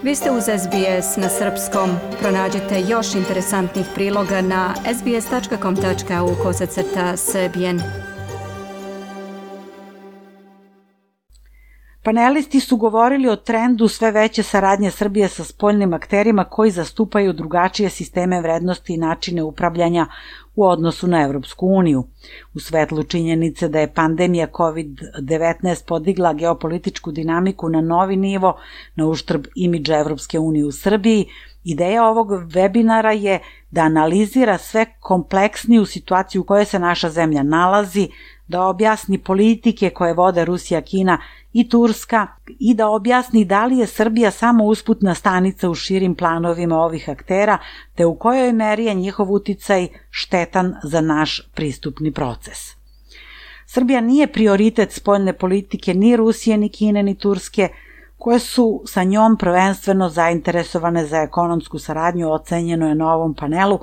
Vi ste uz SBS na srpskom. Pronađite još interesantnih priloga na sbs.com.au/srbijen. Panelisti su govorili o trendu sve veće saradnje Srbije sa spoljnim akterima koji zastupaju drugačije sisteme vrednosti i načine upravljanja u odnosu na Evropsku uniju. U svetlu činjenice da je pandemija COVID-19 podigla geopolitičku dinamiku na novi nivo na uštrb imidža Evropske unije u Srbiji, ideja ovog webinara je da analizira sve kompleksniju situaciju u kojoj se naša zemlja nalazi, da objasni politike koje vode Rusija, Kina i Turska i da objasni da li je Srbija samo usputna stanica u širim planovima ovih aktera, te u kojoj meri je njihov uticaj štetan za naš pristupni proces. Srbija nije prioritet spoljne politike ni Rusije, ni Kine, ni Turske, koje su sa njom prvenstveno zainteresovane za ekonomsku saradnju, ocenjeno je na ovom panelu,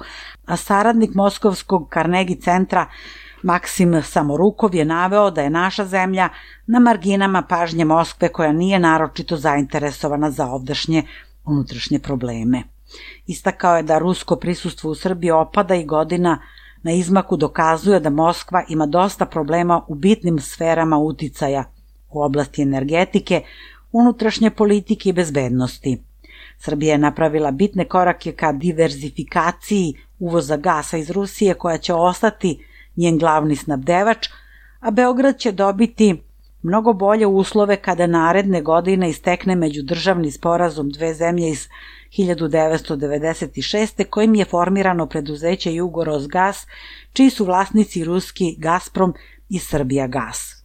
a saradnik Moskovskog Carnegie centra Maksim Samorukov je naveo da je naša zemlja na marginama pažnje Moskve koja nije naročito zainteresovana za ovdašnje unutrašnje probleme. Istakao je da rusko prisustvo u Srbiji opada i godina na izmaku dokazuje da Moskva ima dosta problema u bitnim sferama uticaja u oblasti energetike, unutrašnje politike i bezbednosti. Srbija je napravila bitne korake ka diverzifikaciji uvoza gasa iz Rusije koja će ostati njen glavni snabdevač, a Beograd će dobiti mnogo bolje uslove kada naredne godine istekne međudržavni sporazum dve zemlje iz 1996. kojim je formirano preduzeće Jugorosgas, čiji su vlasnici ruski Gazprom i Srbijagas.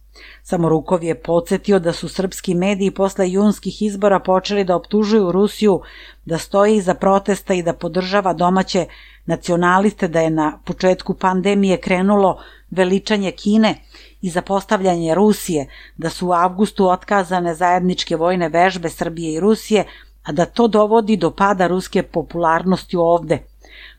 Samorukov je podsjetio da su srpski mediji posle junskih izbora počeli da optužuju Rusiju da stoji iza protesta i da podržava domaće nacionaliste, da je na početku pandemije krenulo veličanje Kine i zapostavljanje Rusije, da su u avgustu otkazane zajedničke vojne vežbe Srbije i Rusije, a da to dovodi do pada ruske popularnosti ovde.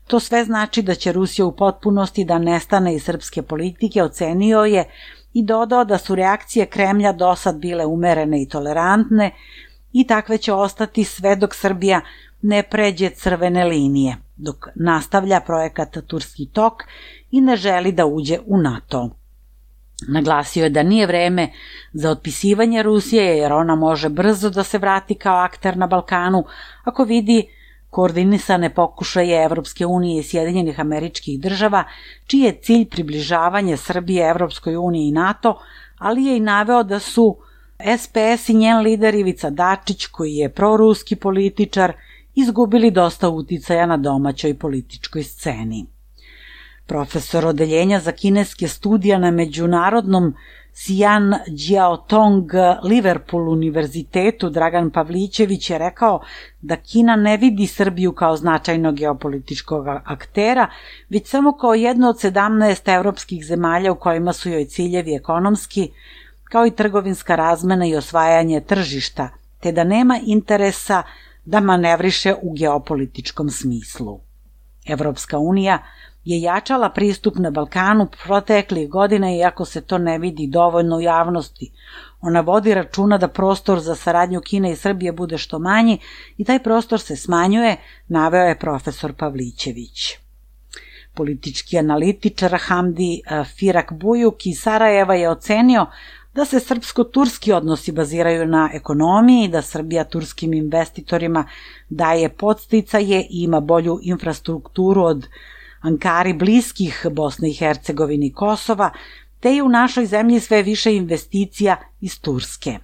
To sve znači da će Rusija u potpunosti da nestane iz srpske politike, ocenio je i dodao da su reakcije Kremlja dosad bile umerene i tolerantne i takve će ostati sve dok Srbija ne pređe crvene linije, dok nastavlja projekat Turski tok i ne želi da uđe u NATO. Naglasio je da nije vreme za otpisivanje Rusije jer ona može brzo da se vrati kao akter na Balkanu ako vidi koordinisane pokušaje Evropske unije i Sjedinjenih Američkih Država, čiji je cilj približavanje Srbije Evropskoj uniji i NATO, ali je i naveo da su SPS i njen lider Ivica Dačić, koji je proruski političar, izgubili dosta uticaja na domaćoj političkoj sceni. Profesor odeljenja za kineske studije na međunarodnom Sian Jiaotong Liverpool univerzitetu Dragan Pavlićević je rekao da Kina ne vidi Srbiju kao značajnog geopolitičkog aktera, već samo kao jedno od 17 evropskih zemalja u kojima su joj ciljevi ekonomski, kao i trgovinska razmena i osvajanje tržišta, te da nema interesa da manevriše u geopolitičkom smislu. Evropska unija je jačala pristup na Balkanu proteklih godina iako se to ne vidi dovoljno u javnosti. Ona vodi računa da prostor za saradnju Kine i Srbije bude što manji i taj prostor se smanjuje, naveo je profesor Pavlićević. Politički analitičar Hamdi Firak Bujuk iz Sarajeva je ocenio da se srpsko-turski odnosi baziraju na ekonomiji, da Srbija turskim investitorima daje podsticaje i ima bolju infrastrukturu od Ankari bliskih Bosne i Hercegovine i Kosova, te je u našoj zemlji sve više investicija iz Turske.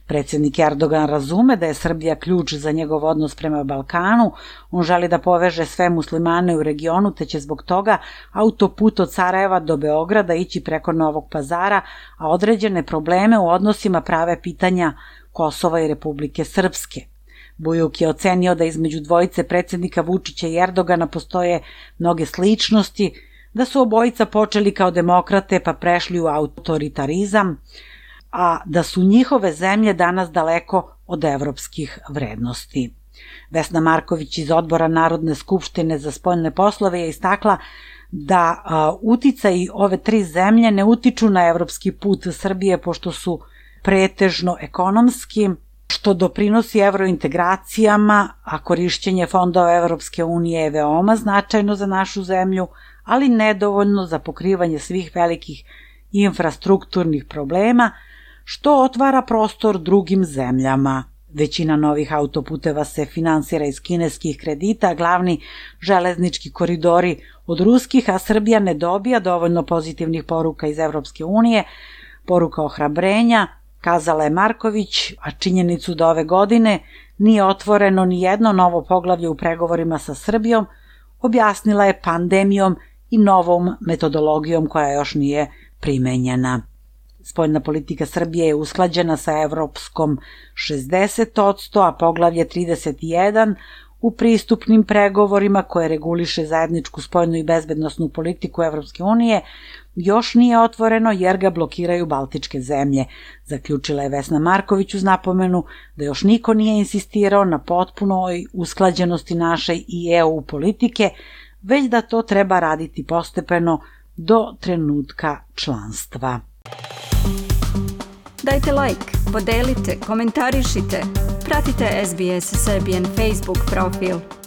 Predsjednik Erdogan razume da je Srbija ključ za njegov odnos prema Balkanu, on želi da poveže sve muslimane u regionu, te će zbog toga autoput od Sarajeva do Beograda ići preko Novog Pazara, a određene probleme u odnosima prave pitanja Kosova i Republike Srpske. Bujuk je ocenio da između dvojice predsjednika Vučića i Erdogana postoje mnoge sličnosti, da su obojica počeli kao demokrate pa prešli u autoritarizam, a da su njihove zemlje danas daleko od evropskih vrednosti. Vesna Marković iz Odbora Narodne skupštine za spoljne poslove je istakla da uticaji ove tri zemlje ne utiču na evropski put Srbije pošto su pretežno ekonomski, što doprinosi evrointegracijama, a korišćenje fondova Evropske unije je veoma značajno za našu zemlju, ali nedovoljno za pokrivanje svih velikih infrastrukturnih problema, što otvara prostor drugim zemljama. Većina novih autoputeva se finansira iz kineskih kredita, glavni železnički koridori od ruskih, a Srbija ne dobija dovoljno pozitivnih poruka iz Evropske unije, poruka ohrabrenja, kazala je Marković, a činjenicu da ove godine nije otvoreno ni jedno novo poglavlje u pregovorima sa Srbijom, objasnila je pandemijom i novom metodologijom koja još nije primenjena. Spoljna politika Srbije je usklađena sa evropskom 60%, a poglavlje 31 u pristupnim pregovorima koje reguliše zajedničku spoljnu i bezbednosnu politiku Evropske unije još nije otvoreno jer ga blokiraju baltičke zemlje, zaključila je Vesna Marković uz napomenu da još niko nije insistirao na potpunoj usklađenosti naše i EU politike, već da to treba raditi postepeno do trenutka članstva. Dajte like, podelite, komentarišite, pratite SBS Serbian Facebook profil.